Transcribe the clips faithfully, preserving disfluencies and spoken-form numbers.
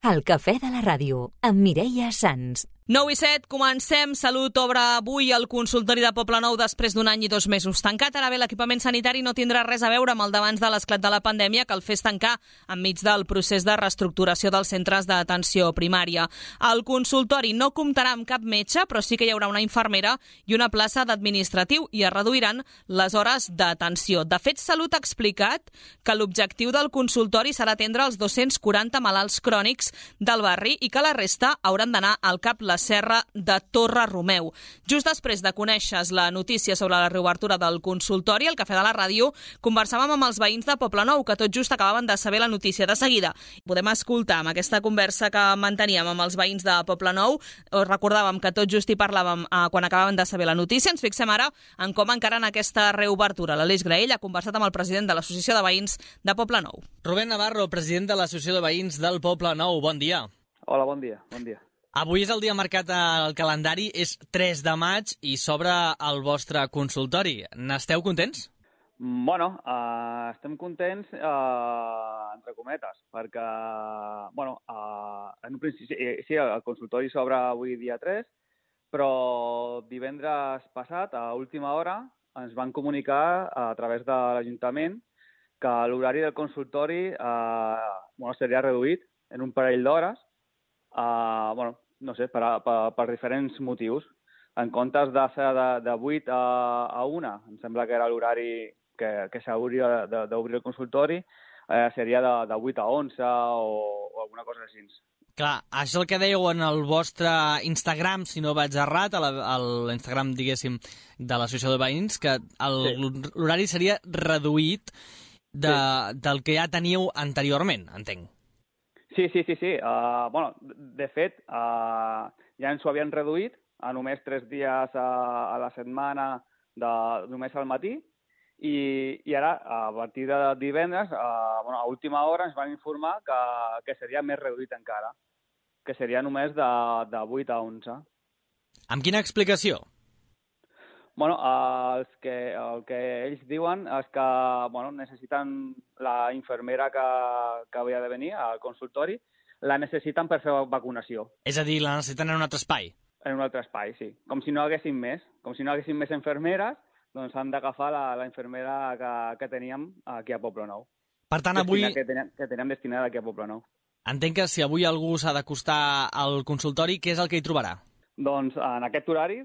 El cafè de la ràdio, amb Mireia Sans. nou i set, comencem. Salut obre avui el consultori de Poblenou després d'un any i dos mesos tancat. Ara bé, l'equipament sanitari no tindrà res a veure amb el d'abans de l'esclat de la pandèmia, que el fes tancar enmig del procés de reestructuració dels centres d'atenció primària. El consultori no comptarà amb cap metge, però sí que hi haurà una infermera i una plaça d'administratiu i es reduiran les hores d'atenció. De fet, Salut ha explicat que l'objectiu del consultori serà atendre els dos-cents quaranta malalts crònics del barri i que la resta hauran d'anar al cap la Serra de Torre Romeu. Just després de conèixer la notícia sobre la reobertura del consultori, al Cafè de la Ràdio conversàvem amb els veïns de Poblenou, que tot just acabaven de saber la notícia. De seguida podem escoltar amb aquesta conversa que manteníem amb els veïns de Poblenou. Us recordàvem que tot just hi parlàvem eh, quan acabaven de saber la notícia. Ens fixem ara en com encaren aquesta reobertura. L'Aleix Graell ha conversat amb el president de l'Associació de Veïns de Poblenou. Rubén Navarro, president de l'Associació de Veïns del Poblenou. Bon dia. Hola, bon dia. Bon dia. Avui és el dia marcat al calendari, és tres de maig i s'obre el vostre consultori. N'esteu contents? Bueno, uh, estem contents, uh, entre cometes, perquè, bueno, uh, en un principi, sí, el consultori s'obre avui dia tres, però divendres passat, a última hora, ens van comunicar a través de l'Ajuntament que l'horari del consultori uh, bueno, seria reduït en un parell d'hores, uh, bueno, no sé, per, per, per diferents motius. En comptes de ser de, de vuit a, a una, em sembla que era l'horari que, que s'hauria d'obrir el consultori, eh, seria de, de vuit a onze o, o alguna cosa així. Clar, això és el que dèieu en el vostre Instagram, si no vaig errat, a l'Instagram, diguéssim, de l'Associació de Veïns, que l'horari sí. seria reduït de, sí. del que ja teníeu anteriorment, entenc. Sí, sí, sí, sí. Uh, bueno, de fet, uh, ja ens ho havien reduït a només tres dies a, a la setmana, de, només al matí, i, i ara, a partir de divendres, uh, bueno, a última hora ens van informar que, que seria més reduït encara, que seria només de, de vuit a onze. Amb quina explicació? Bueno, uh, els que, el que ells diuen és que bueno, necessiten la infermera que, que havia de venir al consultori, la necessiten per fer vacunació. És a dir, la necessiten en un altre espai? En un altre espai, sí. Com si no haguessin més. Com si no haguessin més infermeres, doncs han d'agafar la, la infermera que, que teníem aquí a Poblenou. Per tant, avui... Que teníem, que teníem destinada aquí a Poblenou. Entenc que si avui algú s'ha d'acostar al consultori, què és el que hi trobarà? Doncs en aquest horari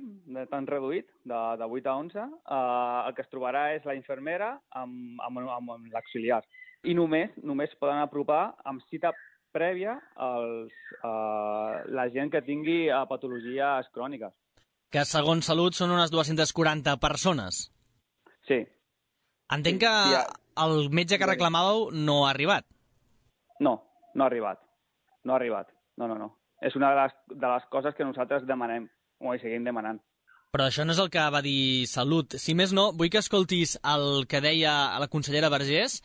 tan reduït, de, de vuit a onze, eh, el que es trobarà és la infermera amb, amb, amb, amb l'auxiliar. I només només poden apropar amb cita prèvia els, eh, la gent que tingui eh, patologies cròniques. Que segons Salut són unes dues-centes quaranta persones. Sí. Entenc sí, que sí, ja... el metge que reclamàveu no ha arribat. No, no ha arribat. No ha arribat. No, no, no. És una de les, de les coses que nosaltres demanem, o hi seguim demanant. Però això no és el que va dir Salut. Si més no, vull que escoltis el que deia la consellera Vergés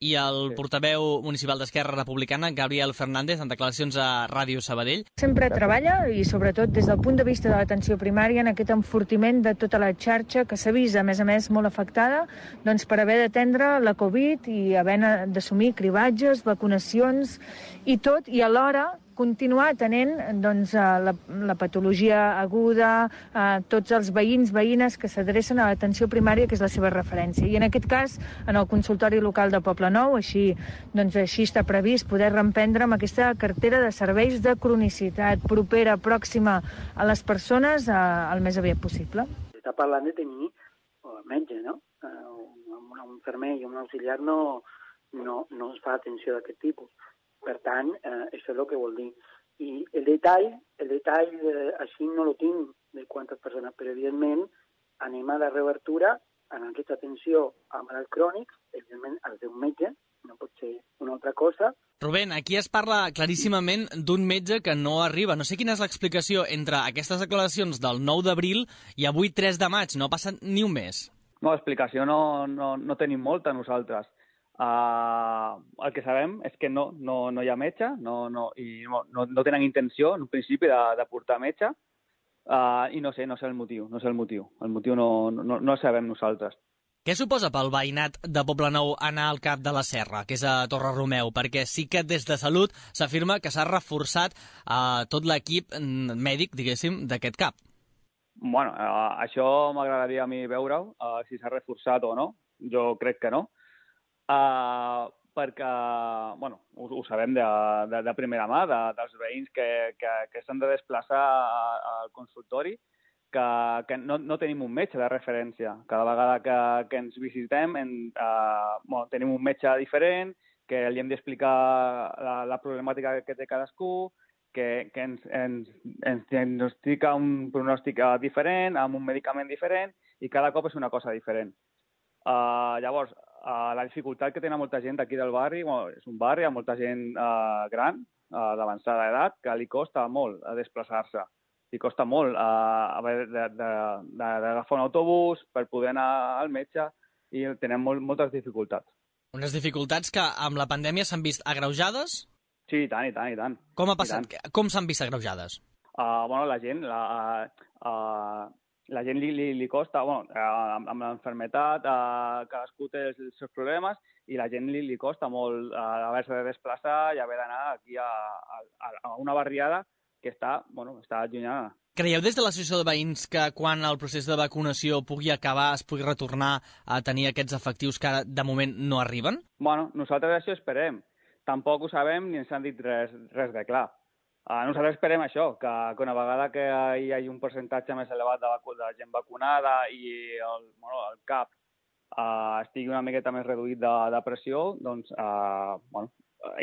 i el sí. portaveu municipal d'Esquerra Republicana, Gabriel Fernández, en declaracions a Ràdio Sabadell. Sempre treballa, i sobretot des del punt de vista de l'atenció primària, en aquest enfortiment de tota la xarxa que s'ha vist, a més a més, molt afectada, doncs per haver d'atendre la Covid i haver d'assumir cribatges, vacunacions i tot, i alhora continuar atenent doncs, la, la patologia aguda, eh, tots els veïns, veïnes que s'adrecen a l'atenció primària, que és la seva referència. I en aquest cas, en el consultori local de Poblenou, així, doncs, així està previst poder reemprendre amb aquesta cartera de serveis de cronicitat propera, pròxima a les persones, eh, el més aviat possible. Està parlant de tenir oh, metge, no? Uh, un, un infermer i un auxiliar no, no, no es fa atenció d'aquest tipus. Per tant, eh, això és el que vol dir. I el detall, el detall eh, així no lo tinc de quantes persones, però evidentment anem a la reobertura en aquesta atenció a malalts crònics, evidentment el d'un metge, no pot ser una altra cosa. Rubén, aquí es parla claríssimament d'un metge que no arriba. No sé quina és l'explicació entre aquestes declaracions del nou d'abril i avui tres de maig. No ha passat ni un mes. No, explicació no, no, no tenim molta nosaltres. Uh, el que sabem és que no, no, no hi ha metge no, no, i no, no, no tenen intenció en un principi de, de portar metge uh, i no sé, no sé el motiu, no sé el motiu, el motiu no, no, no el sabem nosaltres. Què suposa pel veïnat de Poblenou anar al cap de la Serra, que és a Torre Romeu? Perquè sí que des de Salut s'afirma que s'ha reforçat eh, tot l'equip mèdic, diguéssim, d'aquest cap. Bueno, uh, això m'agradaria a mi veure-ho, uh, si s'ha reforçat o no. Jo crec que no. Uh, perquè, bueno, ho, ho sabem de, de, de primera mà, de, dels veïns que, que, que s'han de desplaçar al consultori, que, que no, no tenim un metge de referència. Cada vegada que, que ens visitem en, uh, bueno, tenim un metge diferent, que li hem d'explicar la, la problemàtica que té cadascú, que, que ens, ens, ens diagnostica un pronòstic diferent, amb un medicament diferent, i cada cop és una cosa diferent. Uh, llavors, uh, la dificultat que tenen molta gent aquí del barri, bueno, és un barri amb molta gent uh, gran, uh, d'avançada edat, que li costa molt a desplaçar-se. Li costa molt uh, d'agafar un autobús per poder anar al metge, i tenen molt, moltes dificultats. Unes dificultats que amb la pandèmia s'han vist agreujades? Sí, i tant, i tant, i tant. Com ha passat? Com s'han vist agreujades? Uh, bueno, la gent, la, uh, uh, la gent li, li, li costa, bueno, uh, amb, amb l'enfermetat, uh, cadascú té els, els seus problemes, i la gent li, li costa molt uh, haver-se de desplaçar i haver d'anar aquí a, a, a una barriada que està, bueno, està allunyada. Creieu des de l'associació de veïns que quan el procés de vacunació pugui acabar es pugui retornar a tenir aquests efectius que ara de moment no arriben? Bueno, nosaltres això esperem. Tampoc ho sabem ni ens han dit res, res de clar. Uh, nosaltres esperem això, que, que una vegada que hi hagi un percentatge més elevat de, vacu de gent vacunada i el, bueno, el cap uh, estigui una miqueta més reduït de, de pressió, doncs uh, bueno,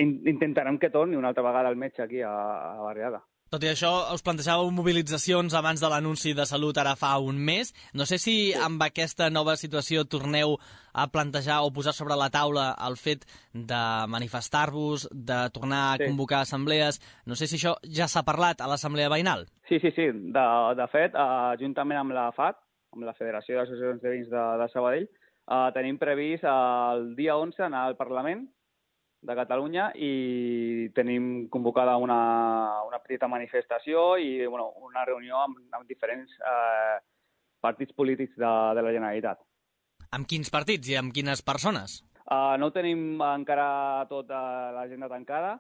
in intentarem que torni una altra vegada el metge aquí a, a la barriada. Tot i això, us plantejàveu mobilitzacions abans de l'anunci de Salut ara fa un mes. No sé si sí. amb aquesta nova situació torneu a plantejar o posar sobre la taula el fet de manifestar-vos, de tornar a sí. convocar assemblees. No sé si això ja s'ha parlat a l'assemblea veïnal. Sí, sí, sí. De, de fet, uh, juntament amb la F A T, amb la Federació d'Associacions de Veïns de, de Sabadell, uh, tenim previst uh, el dia onze anar al Parlament de Catalunya i tenim convocada una, una petita manifestació i bueno, una reunió amb, amb diferents eh, partits polítics de, de la Generalitat. Amb quins partits i amb quines persones? Uh, no tenim encara tota l'agenda tancada.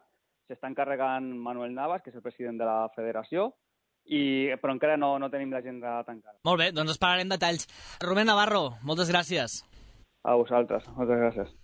S'està encarregant Manuel Navas, que és el president de la federació, i, però encara no, no tenim l'agenda tancada. Molt bé, doncs esperarem detalls. Rubén Navarro, moltes gràcies. A vosaltres, moltes gràcies.